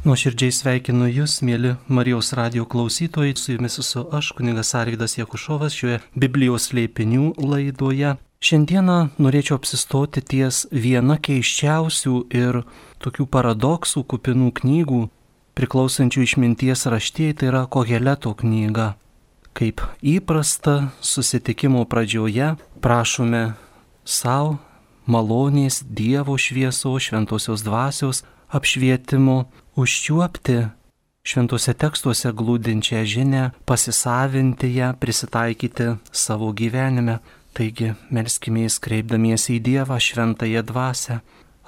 Nuoširdžiai sveikinu Jūs, mėly Marijos radijo klausytojai, su Jumis esu aš, kunigas Arvydas Jakušovas, šioje Biblijos slėpinių laidoje. Šiandieną norėčiau apsistoti ties viena keisčiausių ir tokių paradoksų kupinų knygų, priklausančių išminties raštijai, tai yra Koheleto knyga. Kaip įprasta, susitikimo pradžioje prašome savo malonės, Dievo šviesos, šventosios dvasios apšvietimo, užčiuopti šventuose tekstuose glūdinčią žinią, pasisavinti ją, prisitaikyti savo gyvenime. Taigi, melskimės kreipdamiesi į Dievą, šventąją dvasią.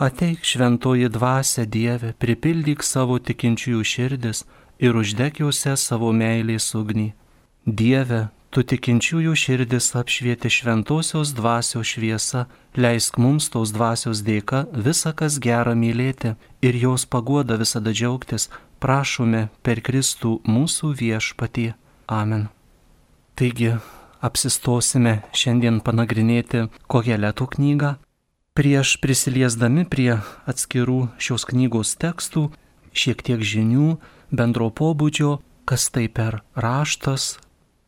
Ateik, šventoji dvasia, Dieve, pripildyk savo tikinčiųjų širdis ir uždek juose savo meilės ugnį. Dieve, Tu tikinčiųjų širdis apšvieti šventosios dvasios šviesa, leisk mums tos dvasios dėka visa kas gera mylėti ir jos paguoda visada džiaugtis, prašome per Kristų mūsų viešpatį. Amen. Taigi, apsistosime šiandien panagrinėti Koheleto knygą. Prieš prisiliesdami prie atskirų šios knygos tekstų, šiek tiek žinių, bendro pobūdžio, kas tai per raštas,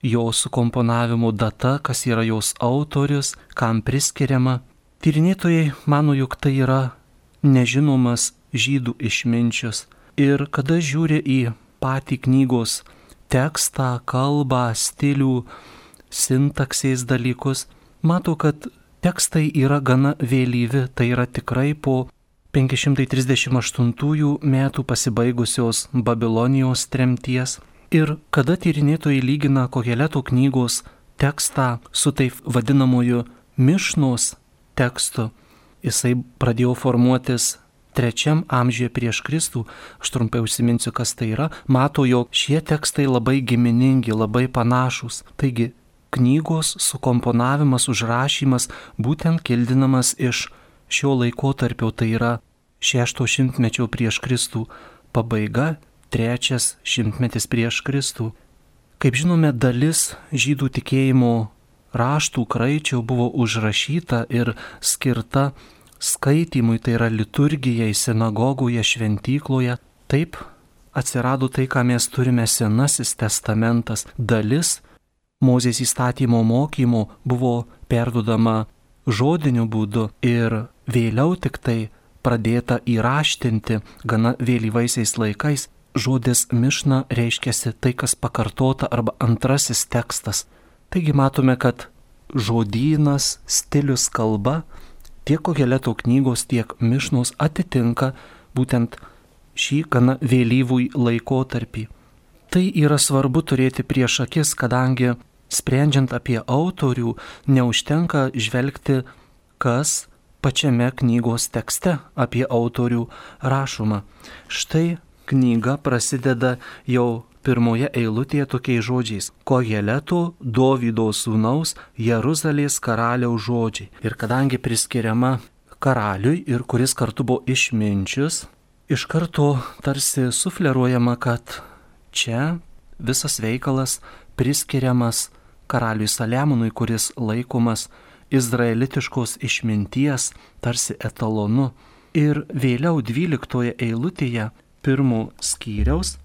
jo sukomponavimo data, kas yra jos autorius, kam priskiriama. Tyrinėtojai mano, jog tai yra nežinomas žydų išminčius. Ir kada žiūri į patį knygos tekstą, kalbą, stilių, sintaksės dalykus, mato, kad tekstai yra gana vėlyvi, tai yra tikrai po 538 metų pasibaigusios Babilonijos tremties. Ir kada tyrinėtojai lygina Koheleto knygos tekstą su taip vadinamoju Mišnos tekstu, jisai pradėjo formuotis 3 amžiuje prieš Kristų, aš trumpai užsiminsiu, kas tai yra, mato, jog šie tekstai labai giminingi, labai panašus. Taigi, knygos sukomponavimas, užrašymas būtent kildinamas iš šio laikotarpio, tai yra 6 šimtmečio prieš Kristų pabaiga, 3 šimtmetis prieš Kristų. Kaip žinome, dalis žydų tikėjimo raštų kraičių buvo užrašyta ir skirta skaitymui, tai yra liturgijai, sinagogoje, šventykloje. Taip atsirado tai, ką mes turime Senasis testamentas. Dalis Mozės įstatymo mokymo buvo perduodama žodiniu būdu ir vėliau tik tai pradėta įraštinti gana vėlyvaisiais laikais. Žodis Mišna reiškiasi tai, kas pakartota arba antrasis tekstas. Taigi matome, kad žodynas, stilius, kalba tiek Koheleto knygos, tiek Mišnos atitinka būtent šį gana vėlyvų laikotarpį. Tai yra svarbu turėti prieš akis, kadangi sprendžiant apie autorių neužtenka žvelgti, kas pačiame knygos tekste apie autorių rašoma. Štai knyga prasideda jau pirmoje eilutėje tokiais žodžiais: Koheleto, Dovydo sūnaus, Jeruzalės karaliaus žodžiai. Ir kadangi priskiriama karaliui ir kuris kartu buvo išminčius, iš karto tarsi sufleruojama, kad čia visas veikalas priskiriamas karaliui Saliamonui, kuris laikomas izraelitiškos išminties tarsi etalonu. Ir vėliau 12 eilutėje 1 skyriaus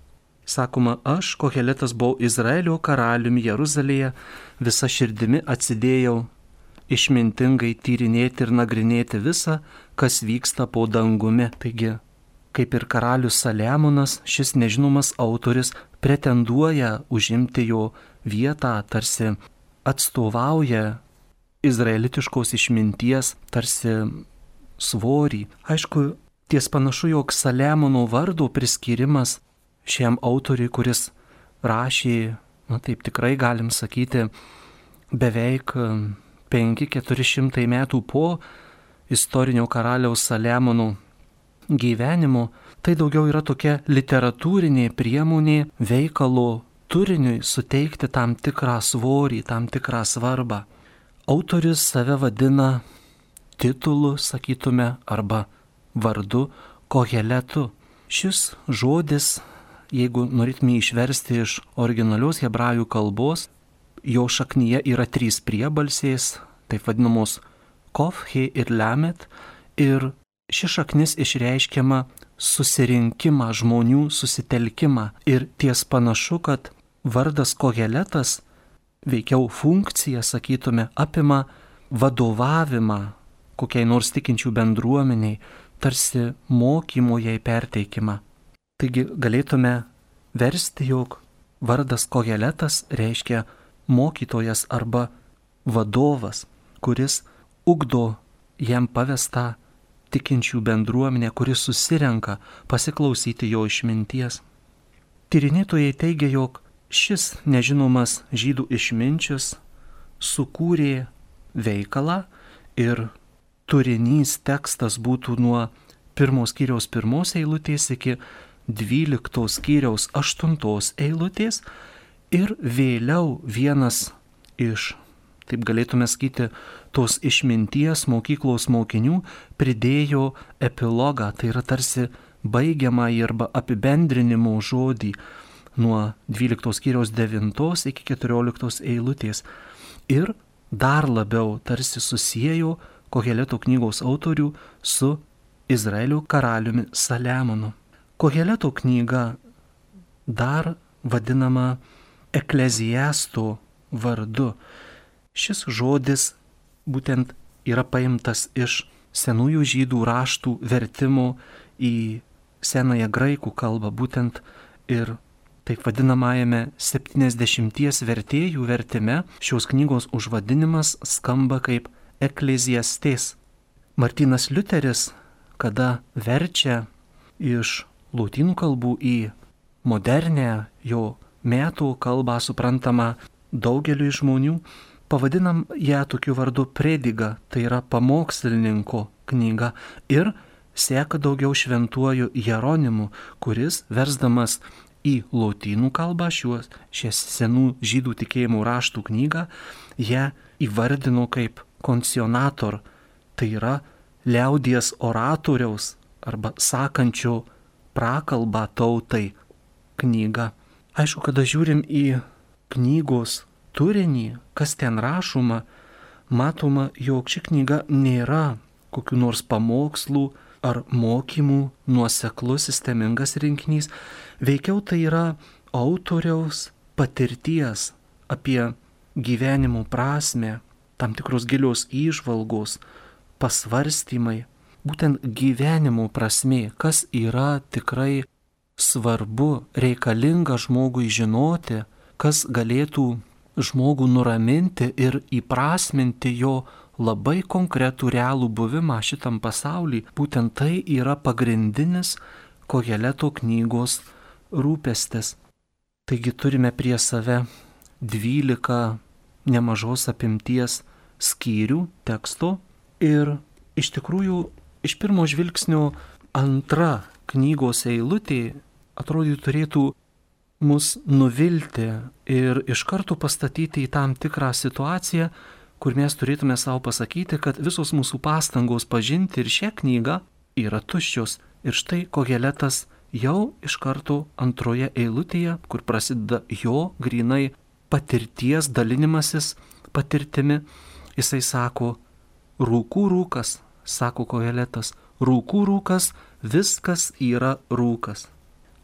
sakoma: aš, Koheletas, buvau Izraelio karaliumi Jeruzalėje, visa širdimi atsidėjau išmintingai tyrinėti ir nagrinėti visą, kas vyksta po dangumi. Taigi, kaip ir karalius Saliamonas, šis nežinomas autorius pretenduoja užimti jo vietą, tarsi atstovauja izraelitiškos išminties tarsi svorį. Aišku, ties panašu, jog Saliamono vardo priskyrimas šiam autoriui, kuris rašė, taip tikrai galim sakyti, beveik 500-400 metų po istorinio karaliaus Saliamono gyvenimo, tai daugiau yra tokia literatūrinė priemonė veikalo turiniui suteikti tam tikrą svorį, tam tikrą svarbą. Autorius save vadina titulu, sakytume, arba vardu Koheletu. Šis žodis, jeigu norėtume išversti iš originalios hebrajų kalbos, jo šaknyje yra 3 priebalsės, taip vadinamos Kof, He ir Lamet, ir ši šaknis išreiškiama susirinkimą, žmonių susitelkimą. Ir ties panašu, kad vardas Koheletas, veikiau funkcija, sakytume, apima vadovavimą kokiai nors tikinčių bendruomeniai, tarsi mokymo jai perteikimą. Taigi galėtume versti, jog vardas Koheletas reiškia mokytojas arba vadovas, kuris ugdo jam pavestą tikinčių bendruomenę, kuris susirenka pasiklausyti jo išminties. Tyrinėtojai teigia, jog šis nežinomas žydų išminčius sukūrė veikalą ir turinys tekstas būtų nuo 1 skyriaus 1 eilutės iki 12 skyriaus 8 eilutės ir vėliau vienas iš, taip galėtume sakyti, tos išminties mokyklos mokinių pridėjo epilogą, tai yra tarsi baigiamąjį arba apibendrinimo žodį nuo 12 skyriaus 9 iki 14 eilutės ir dar labiau tarsi susiejo Koheleto knygos autorių su Izraelio karaliumi Saliamonu. Koheleto knyga dar vadinama ekleziasto vardu. Šis žodis būtent yra paimtas iš senųjų žydų raštų vertimo į senąją graikų kalbą, būtent ir taip vadinamajame 70 vertėjų vertime šios knygos užvadinimas skamba kaip ekleziastes. Martynas Liuteris, kada verčia iš lotynų kalbų į modernę jo metų kalbą suprantamą daugeliui žmonių, pavadinam ją tokiu vardu prediga, tai yra pamokslininko knyga, ir seka daugiau šventuoju Jeronimu, kuris versdamas į lotynų kalbą šią senų žydų tikėjimų raštų knygą, ją įvardino kaip koncionator, tai yra liaudies oratoriaus arba sakančio prakalbą tautai knyga. Aišku, kada žiūrim į knygos turinį, kas ten rašoma, matoma, jog ši knyga nėra kokių nors pamokslų ar mokymų nuoseklus sistemingas rinkinys, veikiau tai yra autoriaus patirties apie gyvenimo prasmę, tam tikros gilios įžvalgos, pasvarstymai, būtent gyvenimo prasmė, kas yra tikrai svarbu, reikalinga žmogui žinoti, kas galėtų žmogų nuraminti ir įprasminti jo labai konkretų realų buvimą šitam pasauly. Būtent tai yra pagrindinis Koheleto knygos rūpestis. Taigi turime prie save 12 nemažos apimties skyrių teksto ir iš tikrųjų iš pirmo žvilgsnio antra knygos eilutė atrodytų turėtų mus nuvilti ir iš karto pastatyti į tam tikrą situaciją, kur mes turėtume savo pasakyti, kad visos mūsų pastangos pažinti ir šią knygą yra tuščios. Ir štai Koheletas jau iš karto antroje eilutėje, kur prasideda jo grynai patirties dalinimasis patirtimi, jisai sako, rūkų rūkas, sako Koheletas, rūkų rūkas, viskas yra rūkas.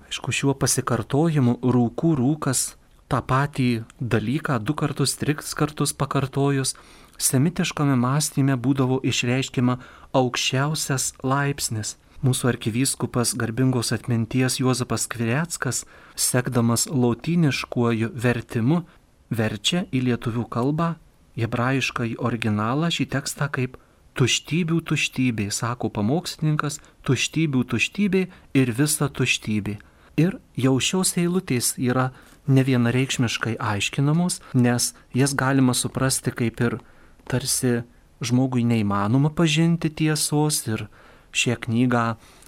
Aišku, šiuo pasikartojimu rūkų rūkas tą patį dalyką 2 kartus, 3 kartus pakartojus, semitiškame mąstyme būdavo išreiškiama aukščiausias laipsnis. Mūsų arkivyskupas garbingos atminties Juozapas Skvireckas, sekdamas lotyniškuoju vertimu, verčia į lietuvių kalbą, hebrajiškąjį originalą šį tekstą kaip tuštybių tuštybė, sako pamokslininkas, tuštybių tuštybė ir visa tuštybė. Ir jau šios eilutės yra nevienareikšmiškai aiškinamos, nes jas galima suprasti kaip ir tarsi žmogui neįmanoma pažinti tiesos ir šią knygą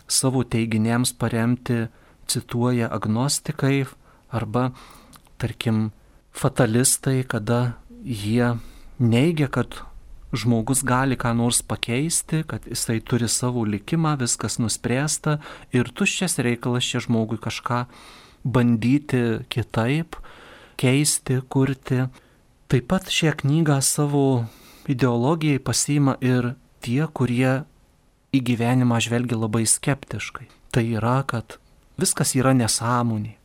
savo teiginiams paremti cituoja agnostikai arba, tarkim, fatalistai, kada jie neigia, kad žmogus gali ką nors pakeisti, kad jisai turi savo likimą, viskas nuspręsta ir tuščias reikalas čia žmogui kažką bandyti kitaip, keisti, kurti. Taip pat šią knygą savo ideologijai pasiima ir tie, kurie į gyvenimą žvelgia labai skeptiškai. tai yra, kad viskas yra nesąmonė,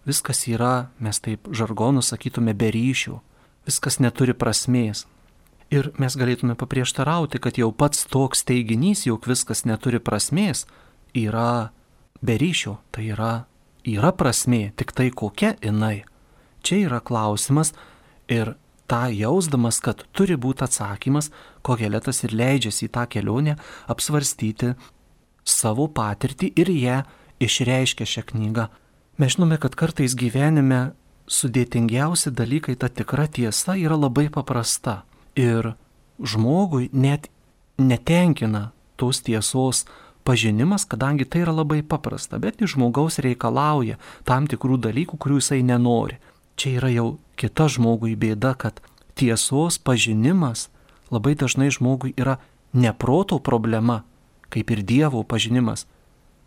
viskas yra, mes taip žargonu sakytume, be ryšių, viskas neturi prasmės. Ir mes galėtume paprieštarauti, kad jau pats toks teiginys, jog viskas neturi prasmės, yra be ryšio, tai yra prasmė, tik tai kokia jinai. Čia yra klausimas ir tą jausdamas, kad turi būti atsakymas, Koheletas ir leidžiasi į tą kelionę apsvarstyti savo patirtį ir ją išreiškia šią knygą. Mes žinome, kad kartais gyvenime sudėtingiausi dalykai, ta tikra tiesa yra labai paprasta. Ir žmogui net netenkina tos tiesos pažinimas, kadangi tai yra labai paprasta, bet iš žmogaus reikalauja tam tikrų dalykų, kurių jisai nenori. Čia yra jau kita žmogui bėda, kad tiesos pažinimas labai dažnai žmogui yra ne proto problema, kaip ir Dievo pažinimas,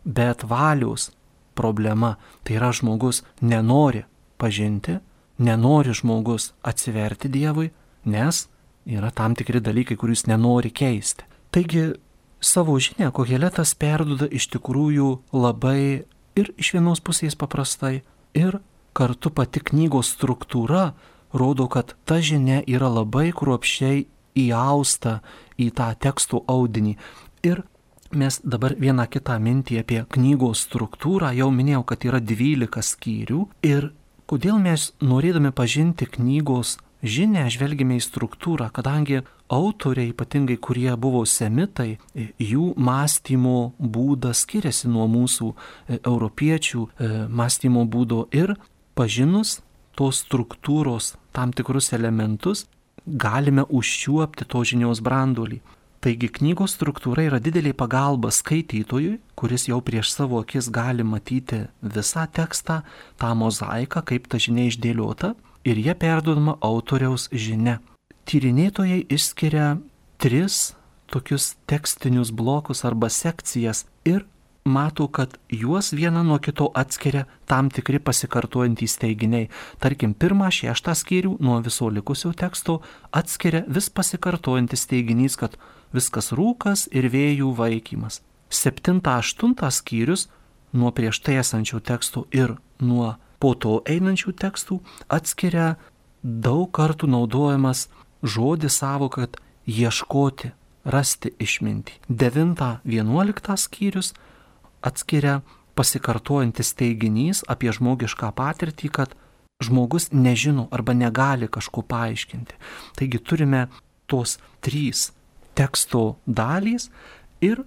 bet valios problema. Tai yra žmogus nenori pažinti, nenori žmogus atsiverti Dievui, nes yra tam tikri dalykai, kuriuos nenori keisti. Taigi savo žinią Koheletas perduoda iš tikrųjų labai ir iš vienos pusės paprastai, ir kartu pati knygos struktūra rodo, kad ta žinia yra labai kruopščiai įausta į tą tekstų audinį. Ir mes dabar vieną kitą mintį apie knygos struktūrą, jau minėjau, kad yra 12 skyrių. Ir kodėl mes norėdami pažinti knygos žinę žvelgime į struktūrą, kadangi autoriai, ypatingai kurie buvo semitai, jų mąstymo būdas skiriasi nuo mūsų europiečių mąstymo būdo ir pažinus tos struktūros tam tikrus elementus galime užčiuopti to žinios branduolį. Taigi knygos struktūra yra didelė pagalba skaitytojui, kuris jau prieš savo akis gali matyti visą tekstą, tą mozaiką, kaip ta žinia išdėliota. Ir jie perduodama autoriaus žinia. Tyrinėtojai išskiria 3 tokius tekstinius blokus arba sekcijas ir mato, kad juos vieną nuo kito atskiria tam tikri pasikartojantys teiginiai. Tarkim, 1-6 skyrių nuo viso likusio teksto atskiria vis pasikartojantis teiginys, kad viskas rūkas ir vėjų vaikymas. 7-8 skyrius nuo prieš tai esančių tekstų ir nuo po to einančių tekstų atskiria daug kartų naudojamas žodis savoka, kad ieškoti, rasti išmintį. 9-11 skyrius atskiria pasikartojantis teiginys apie žmogišką patirtį, kad žmogus nežino arba negali kažko paaiškinti. Taigi turime tos 3 teksto dalys ir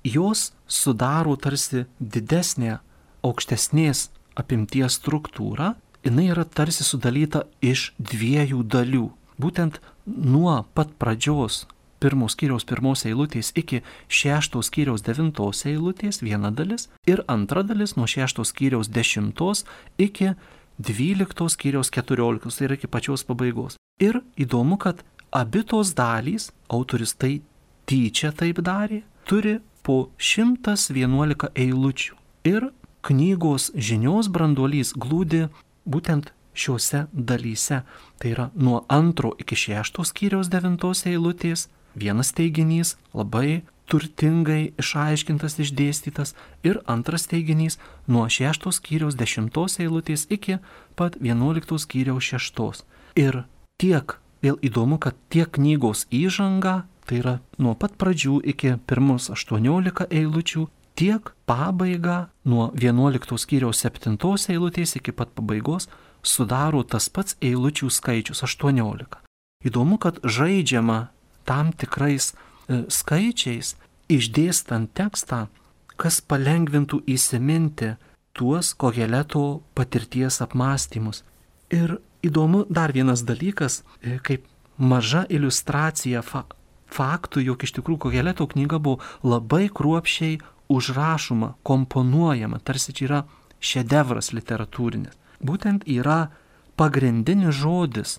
jos sudaro tarsi didesnė, aukštesnės apimties struktūra, jinai yra tarsi sudalyta iš 2 dalių. Būtent nuo pat pradžios 1 skyriaus 1 eilutės iki 6 skyriaus 9 eilutės viena dalis ir antra dalis nuo 6 skyriaus 10 iki 12 skyriaus 14, tai yra iki pačios pabaigos. Ir įdomu, kad abi tos dalys, autoris tai tyčia taip darė, turi po 111 eilučių. Ir knygos žinios branduolys glūdi būtent šiuose dalyse. Tai yra nuo 2 iki 6 skyriaus 9 eilutės vienas teiginys labai turtingai išaiškintas, išdėstytas, ir antras teiginys nuo 6 skyriaus 10 eilutės iki pat 11 skyriaus 6. Ir tiek, vėl įdomu, kad tiek knygos įžanga, tai yra nuo pat pradžių iki pirmus 18 eilučių, tiek pabaiga nuo 11 skyriaus 7 eilutės iki pat pabaigos sudaro tas pats eilučių skaičius 18. Įdomu, kad žaidžiama tam tikrais skaičiais, išdėstant tekstą, kas palengvintų įsiminti tuos Koheleto patirties apmąstymus. Ir įdomu dar vienas dalykas, kaip maža iliustracija faktų, jog iš tikrųjų Koheleto knyga buvo labai kruopščiai užrašoma, komponuojama, tarsi čia yra šedevras literatūrinis. Būtent yra pagrindinis žodis,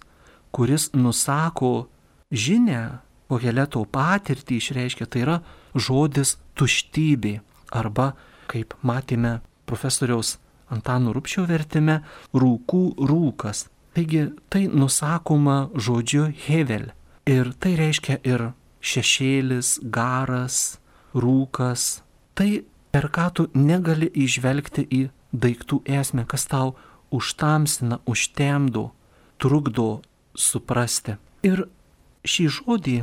kuris nusako žinią, Koheleto patirtį išreiškia, tai yra žodis tuštybė, arba, kaip matėme profesoriaus Antano Rubšio vertime, rūkų rūkas. Taigi tai nusakoma žodžiu hevel. Ir tai reiškia ir šešėlis, garas, rūkas. Tai per ką tu negali įžvelgti į daiktų esmę, kas tau užtamsina, užtemdo, trukdo suprasti. Ir šį žodį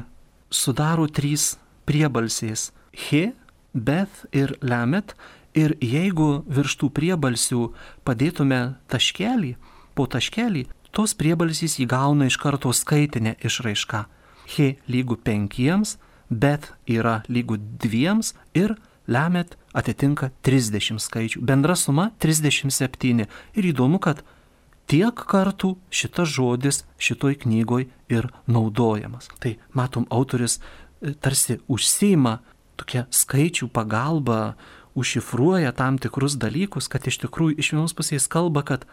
sudaro 3 priebalsės - he, beth ir lamet. Ir jeigu virš tų priebalsių padėtume taškelį, po taškelį, tos priebalsys įgauna iš karto skaitinę išraišką. He lygu 5, beth yra lygu 2 ir lamet atitinka 30 skaičių. Bendra suma 37. Ir įdomu, kad tiek kartų šitas žodis šitoj knygoj ir naudojamas. Tai matom, autorius tarsi užsiima tokia skaičių pagalba, užšifruoja tam tikrus dalykus, kad iš tikrųjų iš vienos pusės kalba, kad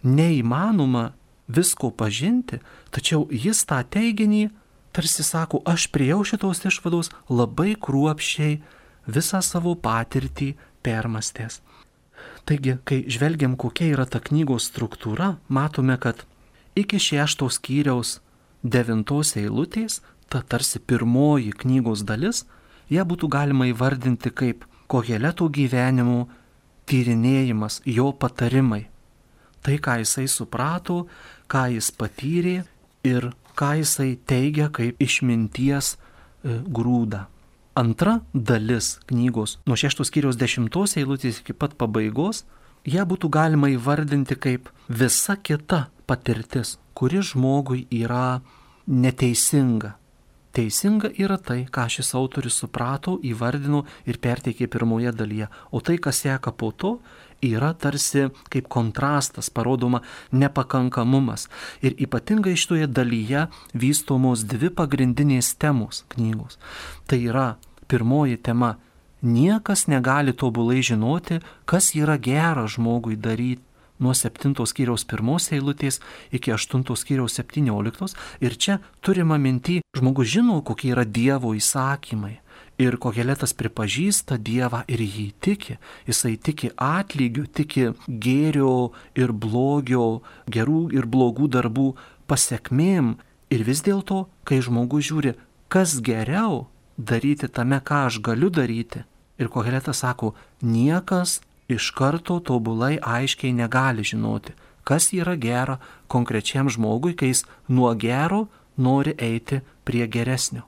neįmanoma visko pažinti, tačiau jis tą teiginį tarsi sako, aš priejau šitos išvados labai kruopščiai visą savo patirtį permastęs. Taigi, kai žvelgiam, kokia yra ta knygos struktūra, matome, kad iki 6 skyriaus 9 eilutės, ta tarsi pirmoji knygos dalis, ją būtų galima įvardinti kaip Koheleto gyvenimo tyrinėjimas, jo patarimai. Tai, ką jisai suprato, ką jis patyrė ir ką jisai teigia kaip išminties grūdą. Antra dalis knygos, nuo 6 skyriaus 10 eilutės iki pat pabaigos, ją būtų galima įvardinti kaip visa kita patirtis, kuri žmogui yra neteisinga. Teisinga yra tai, ką šis autorius suprato, įvardino ir perteikė pirmoje dalyje, o tai, kas seka po to, yra tarsi kaip kontrastas, parodoma nepakankamumas. Ir ypatingai šitoje dalyje vystomos 2 pagrindinės temos knygos. Tai yra pirmoji tema - niekas negali tobulai žinoti, kas yra gera žmogui daryti. Nuo 7 skyriaus 1 eilutės iki 8 skyriaus 17. Ir čia turima minty, žmogus žino, kokie yra Dievo įsakymai. Ir Koheletas pripažįsta Dievą ir jį tiki. Jisai tiki atlygiu, tiki gėrio ir blogio, gerų ir blogų darbų pasekmėm. Ir vis dėlto, kai žmogus žiūri, kas geriau daryti tame, ką aš galiu daryti. Ir Koheletas sako, niekas iš karto tobulai aiškiai negali žinoti, kas yra gera konkrečiam žmogui, kai jis nuo gero nori eiti prie geresnio.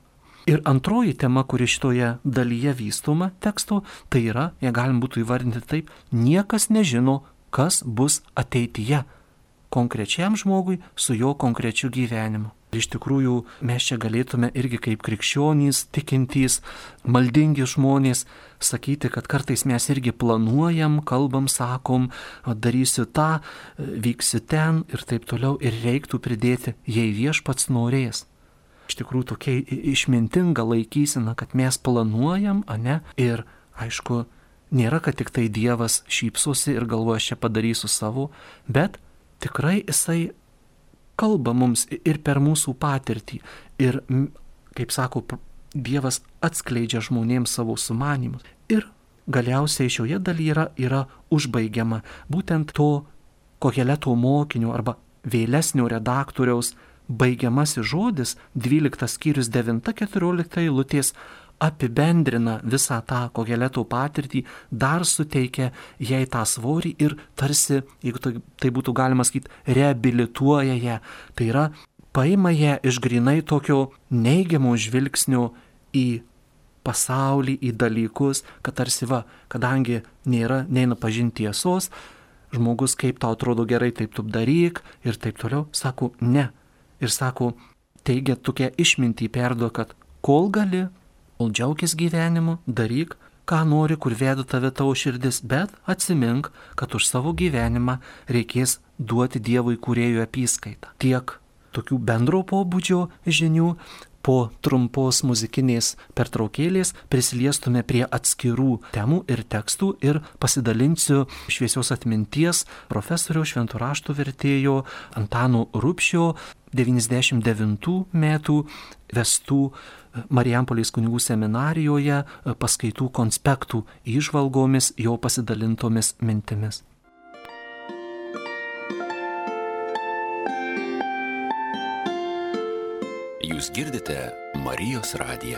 Ir antroji tema, kuri šitoje dalyje vystoma teksto, tai yra, ją galim būtų įvardinti taip, niekas nežino, kas bus ateityje konkrečiam žmogui su jo konkrečiu gyvenimu. Iš tikrųjų, mes čia galėtume irgi kaip krikščionys, tikintys, maldingi žmonės sakyti, kad kartais mes irgi planuojam, kalbam, sakom, darysiu tą, vyksiu ten ir taip toliau. Ir reiktų pridėti, jei viešpats norės. Iš tikrųjų, tokia išmintinga laikysena, kad mes planuojam, ane? Ir aišku, nėra, kad tik tai Dievas šypsosi ir galvoja, aš čia padarysiu savo, bet tikrai jisai kalba mums ir per mūsų patirtį. Ir, kaip sako, Dievas atskleidžia žmonėms savo sumanymus. Ir galiausiai šioje dalyje yra užbaigiama būtent to Koheleto mokinio arba vėlesnio redaktoriaus baigiamasis žodis, 12 skyrius 9-14 eilutės, apibendrina visą tą Koheleto patirtį, dar suteikia jai tą svorį ir tarsi, jeigu tai būtų galima sakyti, reabilituoja ją. Tai yra, paima ją iš grinai tokio neigiamo žvilgsnio į pasaulį, į dalykus, kad tarsi kadangi neina pažinti tiesos, žmogus kaip tau atrodo gerai, taip tu daryk ir taip toliau, sako ne. Ir sako, teigia tokia išmintį perduo, kad kol gali, kol džiaukis gyvenimu, daryk, ką nori, kur veda tave tavo širdis, bet atsimink, kad už savo gyvenimą reikės duoti Dievui kūrėjų apyskaitą. Tiek tokių bendro pobūdžio žinių. Po trumpos muzikinės pertraukėlės prisiliestume prie atskirų temų ir tekstų ir pasidalinsiu šviesios atminties profesoriaus šventų raštų vertėjo Antano Rubšio 99 metų vestų Marijampolės kunigų seminarijoje paskaitų konspektų įžvalgomis, jo pasidalintomis mintimis. Jūs girdite Marijos radiją.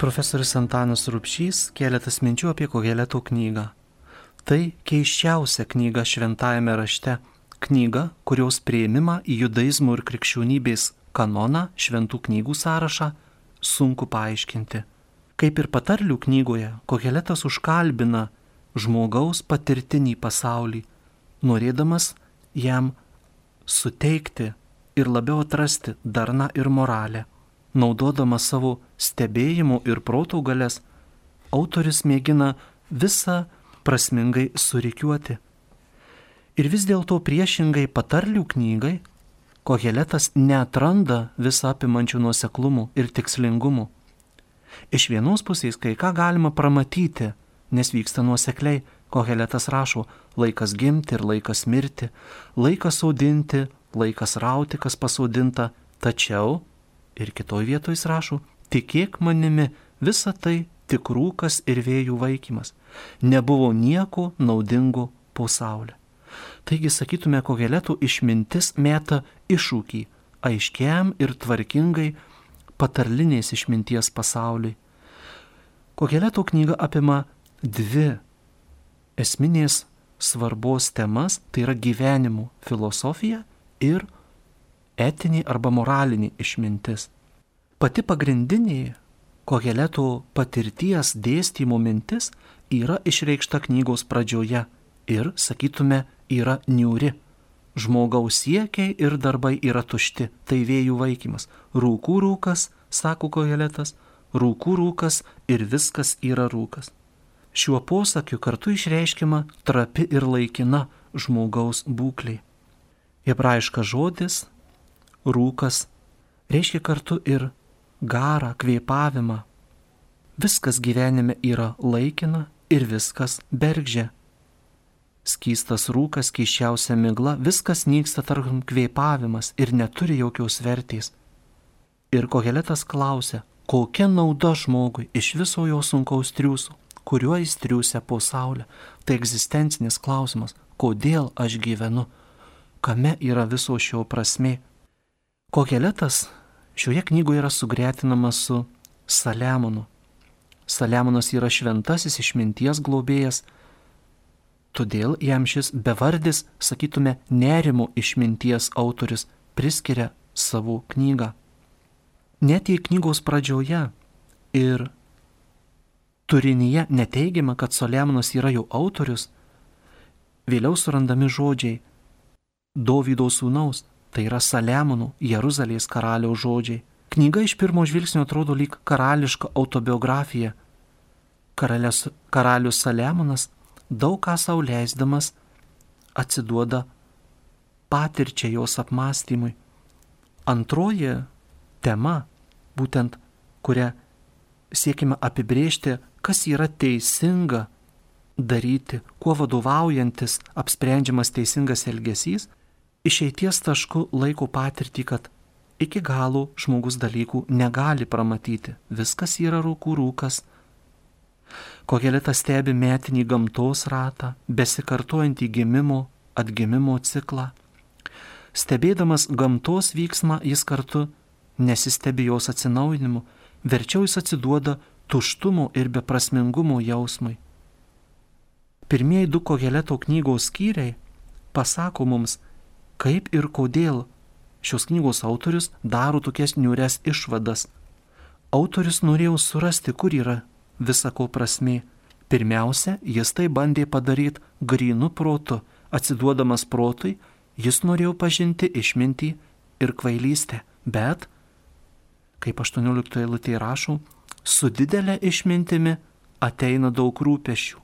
Profesorius Antanas Rubšys keletas minčių apie Koheleto knygą. Tai keisčiausia knyga šventajame rašte, knyga, kurios prieimimą į judaizmo ir krikščionybės kanoną, šventų knygų sąrašą, sunku paaiškinti. Kaip ir patarlių knygoje, Koheletas užkalbina žmogaus patirtinį pasaulį, norėdamas jam suteikti ir labiau atrasti darną ir moralę. Naudodamas savo stebėjimų ir protų galias, autorius mėgina visą prasmingai surikiuoti. Ir vis dėlto priešingai patarlių knygai, Koheletas neatranda visą apimančių nuoseklumų ir tikslingumų. Iš vienos pusės kai ką galima pramatyti, nes vyksta nuosekliai. Koheletas rašo, laikas gimti ir laikas mirti, laikas audinti, laikas rauti, kas pasodinta, tačiau, ir kitoj vietoj jis rašo, tikėk manimi, visa tai tik rūkas ir vėjų vaikymas, nebuvo nieko naudingo po saulę. Taigi, sakytume, Koheleto išmintis meta iššūkį aiškiam ir tvarkingai patarlinės išminties pasauliui. Koheleto knyga apima dvi esminės svarbos temas, tai yra gyvenimo filosofija ir etinė arba moralinė išmintis. Pati pagrindinė Koheleto patirties dėstymo mintis yra išreikšta knygos pradžioje ir, sakytume, yra niūri. Žmogaus siekiai ir darbai yra tušti, tai vėjų vaikymas. Rūkų rūkas, sako Koheletas, rūkų rūkas ir viskas yra rūkas. Šiuo posakiu kartu išreiškiama trapi ir laikina žmogaus būklė. Hebrajiškas žodis rūkas reiškia kartu ir garą, kvėpavimą. Viskas gyvenime yra laikina ir viskas bergždžia. Skystas rūkas, keisčiausia migla, viskas nyksta tartum kvėpavimas ir neturi jokios vertės. Ir Koheletas klausia, kokia nauda žmogui iš viso jo sunkaus triūso, kuriuo jis triūsia po saulę. Tai egzistencinis klausimas, kodėl aš gyvenu, kame yra viso šio prasmė. Koheletas šioje knygoje yra sugretinamas su Saliamonu. Saliamonas yra šventasis išminties globėjas, todėl jam šis bevardis, sakytume, nerimo išminties autorius priskiria savo knygą. Net jei knygos pradžioje ir turinyje neteigiama, kad Saliamonas yra jo autorius, vėliau surandami žodžiai Dovydo sūnaus, tai yra Saliamono, Jeruzalės karaliaus žodžiai. Knyga iš pirmo žvilgsnio atrodo lyg karališka autobiografija. Karalius Saliamonas daug ką sau leisdamas atsiduoda patirčiai, jos apmąstymui. Antroji tema, būtent kurią siekime apibrėžti, kas yra teisinga daryti, kuo vadovaujantis apsprendžiamas teisingas elgesys, išeities tašku laiko patirtį, kad iki galo žmogus dalykų negali pramatyti. Viskas yra rūkų rūkas. Koheletas stebi metinį gamtos ratą, besikartojantį gimimo, atgimimo ciklą. Stebėdamas gamtos vyksmą, jis kartu nesistebi jos atsinaujinimu, verčiau jis atsiduoda tuštumo ir beprasmingumo jausmui. Pirmieji du Koheleto knygos skyriai pasako mums, kaip ir kodėl šios knygos autorius daro tokias niūrias išvadas. Autorius norėjo surasti, kur yra visako prasmė. Pirmiausia, jis tai bandė padaryti grynu protu. Atsiduodamas protui, jis norėjo pažinti išmintį ir kvailystę. Bet, kaip 18 eilutėje rašo, su didelė išmintimi ateina daug rūpesčių.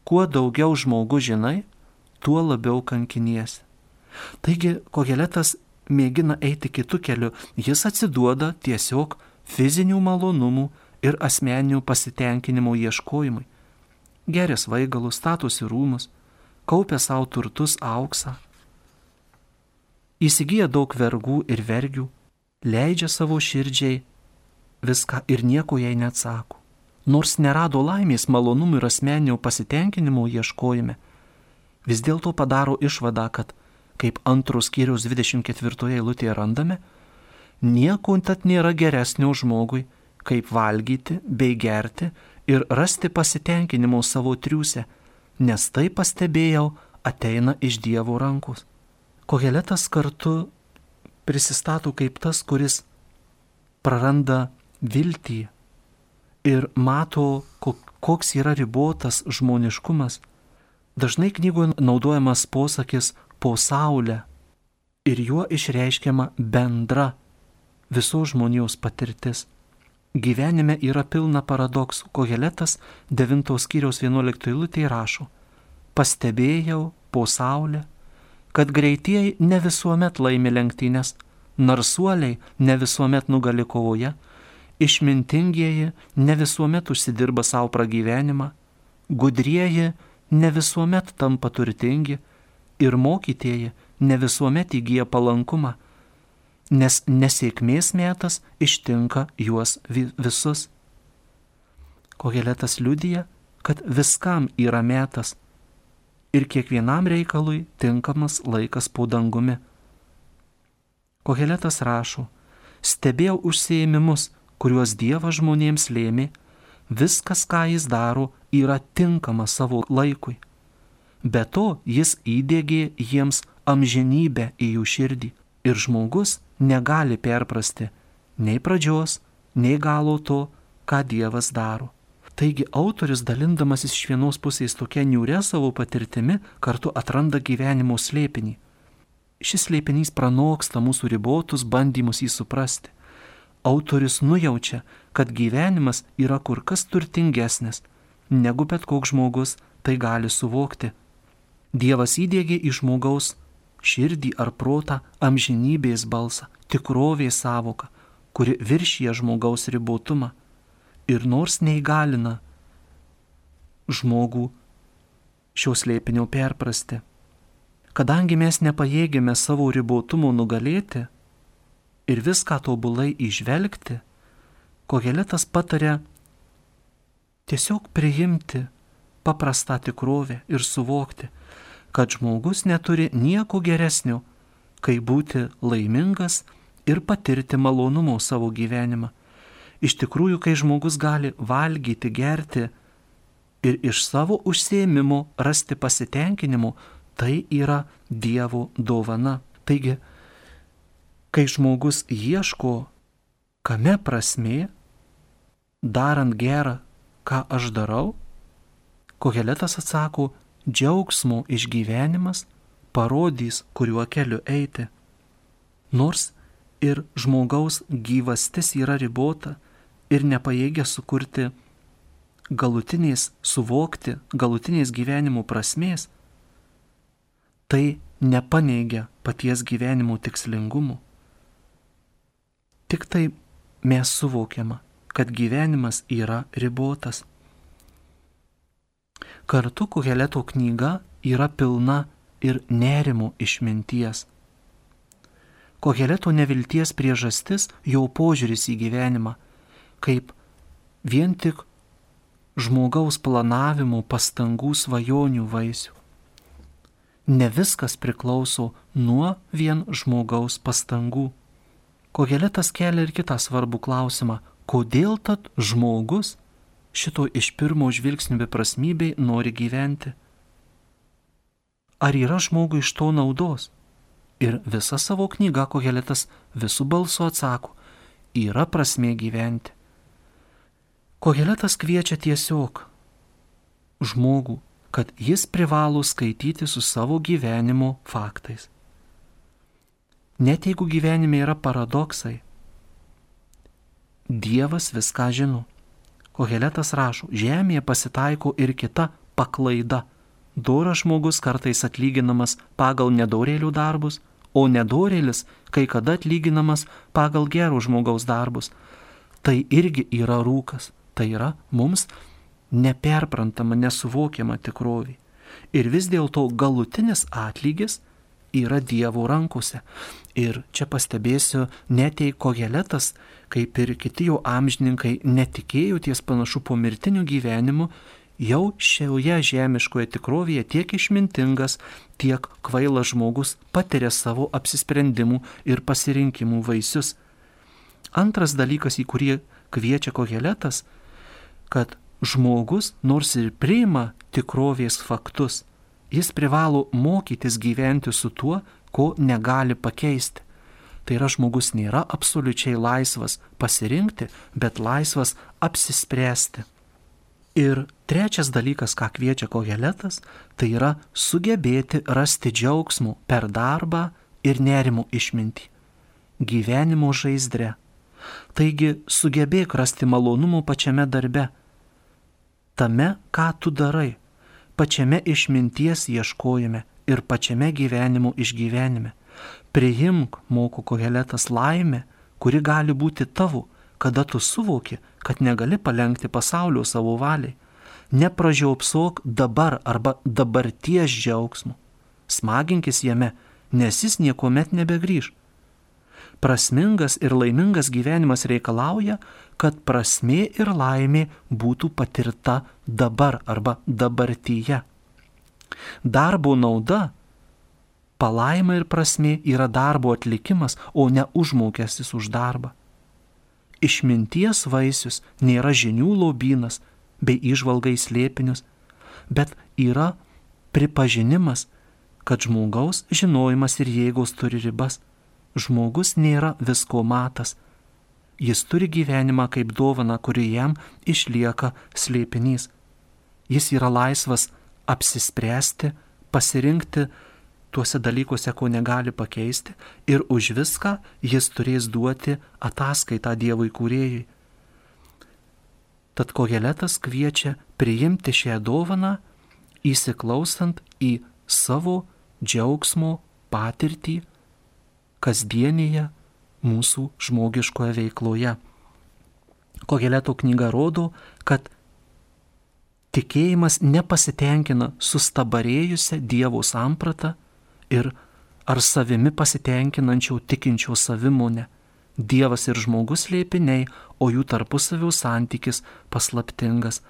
Kuo daugiau žmogus žinai, tuo labiau kankiniesi. Taigi, Koheletas mėgina eiti kitų kelių. Jis atsiduoda tiesiog fizinių malonumų ir asmeninių pasitenkinimo ieškojimui. Geria svaigalus, statosi rūmus, kaupia savo turtus, auksą. Įsigyja daug vergų ir vergių, leidžia savo širdžiai viską ir nieko jai neatsako. Nors nerado laimės, malonumų ir asmeninio pasitenkinimo ieškojime, vis dėlto padaro išvadą, kad, kaip antros skyriaus 24 eilutėje randame, nieko tad nėra geresnio žmogui, kaip valgyti bei gerti ir rasti pasitenkinimo savo triūse, nes tai pastebėjau ateina iš Dievo rankos. Koheletas kartu prisistato kaip tas, kuris praranda viltį ir mato, koks yra ribotas žmoniškumas. Dažnai knygoje naudojamas posakis po saulę ir juo išreiškiama bendra visos žmonijos patirtis. Gyvenime yra pilna paradoksų. Koheletas 9 skyriaus 11 eilutėje rašo: pastebėjau po saulę, kad greitieji ne visuomet laimi lenktynės, narsuoliai ne visuomet nugali kovoje, išmintingieji ne visuomet užsidirba savo pragyvenimą, gudrieji ne visuomet tampa turtingi ir mokytieji ne visuomet įgyja palankumą, nes nesėkmės metas ištinka juos visus. Koheletas liudija, kad viskam yra metas ir kiekvienam reikalui tinkamas laikas po dangumi. Koheletas rašo: stebėjau užsiėmimus, kuriuos Dievas žmonėms lėmė, viskas, ką jis daro, yra tinkama savo laikui. Be to, jis įdiegė jiems amžinybę į jų širdį ir žmogus negali perprasti nei pradžios, nei galo to, ką Dievas daro. Taigi autorius, dalindamasis iš vienos pusės tokia niūria savo patirtimi, kartu atranda gyvenimo slėpinį. Šis slėpinys pranoksta mūsų ribotus bandymus jį suprasti. Autorius nujaučia, kad gyvenimas yra kur kas turtingesnis, negu bet koks žmogus tai gali suvokti. Dievas įdiegė į žmogaus širdį ar protą amžinybės balsą, tikrovės savoką, kuri viršyje žmogaus ribotumą ir nors neįgalina žmogų šio slėpinio perprasti. Kadangi mes nepajėgėme savo ribotumo nugalėti ir viską tobulai įžvelgti, Koheletas pataria tiesiog priimti paprastą tikrovę ir suvokti, kad žmogus neturi nieko geresnio, kai būti laimingas ir patirti malonumo savo gyvenimą. Iš tikrųjų, kai žmogus gali valgyti, gerti ir iš savo užsiėmimo rasti pasitenkinimo, tai yra Dievo dovana. Taigi, kai žmogus ieško, kame prasmė, darant gerą, ką aš darau, Koheletas atsako: džiaugsmo išgyvenimas parodys, kuriuo keliu eiti. Nors ir žmogaus gyvastis yra ribota ir nepajėgia sukurti suvokti galutinės gyvenimo prasmės, tai nepaneigia paties gyvenimo tikslingumo. Tik tai mes suvokiama, kad gyvenimas yra ribotas. Kartu Koheleto knyga yra pilna ir nerimo išminties. Koheleto nevilties priežastis jo požiūris į gyvenimą, kaip vien tik žmogaus planavimo, pastangų, svajonių vaisių. Ne viskas priklauso nuo vien žmogaus pastangų. Koheletas kelia ir kitą svarbų klausimą: kodėl tad žmogus šito iš pirmo žvilgsnio beprasmybei nori gyventi? Ar yra žmogui iš to naudos? Ir visą savo knygą Koheletas visų balsu atsako: yra prasmė gyventi. Koheletas kviečia tiesiog žmogų, kad jis privalo skaityti su savo gyvenimo faktais. Net jeigu gyvenime yra paradoksai, Dievas viską žino. Koheletas rašo: žemėje pasitaiko ir kita paklaida. Doras žmogus kartais atlyginamas pagal nedorėlių darbus, o nedorėlis kai kada atlyginamas pagal gero žmogaus darbus. Tai irgi yra rūkas, tai yra mums neperprantama, nesuvokiama tikrovė. Ir vis dėlto galutinis atlygis yra Dievo rankose. Ir čia pastebėsiu, net jei Koheletas, kaip ir kiti jo amžininkai, netikėjo ties panašu pomirtiniu gyvenimu, jau šioje žemiškoje tikrovėje tiek išmintingas, tiek kvailas žmogus patiria savo apsisprendimų ir pasirinkimų vaisius. Antras dalykas, į kurį kviečia Koheletas, kad žmogus nors ir priima tikrovės faktus, jis privalo mokytis gyventi su tuo, ko negali pakeisti. Tai yra, žmogus nėra absoliučiai laisvas pasirinkti, bet laisvas apsispręsti. Ir trečias dalykas, ką kviečia Koheletas, tai yra sugebėti rasti džiaugsmų per darbą ir nerimo išmintį, gyvenimo žaizdre. Taigi sugebėk rasti malonumų pačiame darbe, tame, ką tu darai, pačiame išminties ieškojime ir pačiame gyvenimo išgyvenime. Priimk, moko Koheletas, laimę, kuri gali būti tavo, kada tu suvoki, kad negali palenkti pasaulio savo valiai. Nepražiopsok dabar arba dabarties džiaugsmo. Smaginkis jame, nes jis niekuomet nebegrįž. Prasmingas ir laimingas gyvenimas reikalauja, kad prasmė ir laimė būtų patirta dabar arba dabartyje. Darbo nauda, palaima ir prasmė yra darbo atlikimas, o ne užmokestis už darbą. Išminties vaisius nėra žinių lobynas bei įžvalga į slėpinius, bet yra pripažinimas, kad žmogaus žinojimas ir jėgos turi ribas. Žmogus nėra visko matas. Jis turi gyvenimą kaip dovaną, kuri jam išlieka slėpinys. Jis yra laisvas apsispręsti, pasirinkti tuose dalykuose, ko negali pakeisti, ir už viską jis turės duoti ataskaitą Dievui kūrėjui. Tad Koheletas kviečia priimti šią dovaną, įsiklausant į savo džiaugsmo patirtį kasdienėje mūsų žmogiškoje veikloje. Koheleto knyga rodo, kad tikėjimas nepasitenkina sustabarėjusią Dievo sampratą ir ar savimi pasitenkinančio tikinčio savimonę. Dievas ir žmogus slėpiniai, o jų tarpusavio santykis paslaptingas.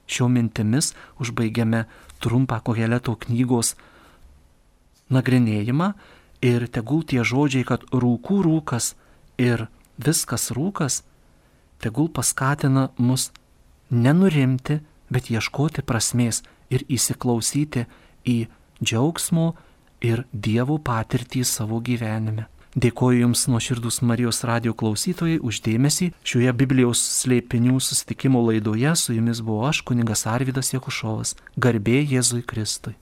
Šio mintimis užbaigiame trumpą Koheleto knygos nagrinėjimą ir tegul tie žodžiai, kad rūkų rūkas ir viskas rūkas, tegul paskatina mus nenurimti, bet ieškoti prasmės ir įsiklausyti į džiaugsmo ir Dievo patirtį savo gyvenime. Dėkoju Jums, nuoširdūs Marijos radijo klausytojai, už dėmesį. Šioje Biblijos slėpinių susitikimo laidoje su Jumis buvau aš, kunigas Arvydas Jakušovas. Garbė Jėzui Kristui.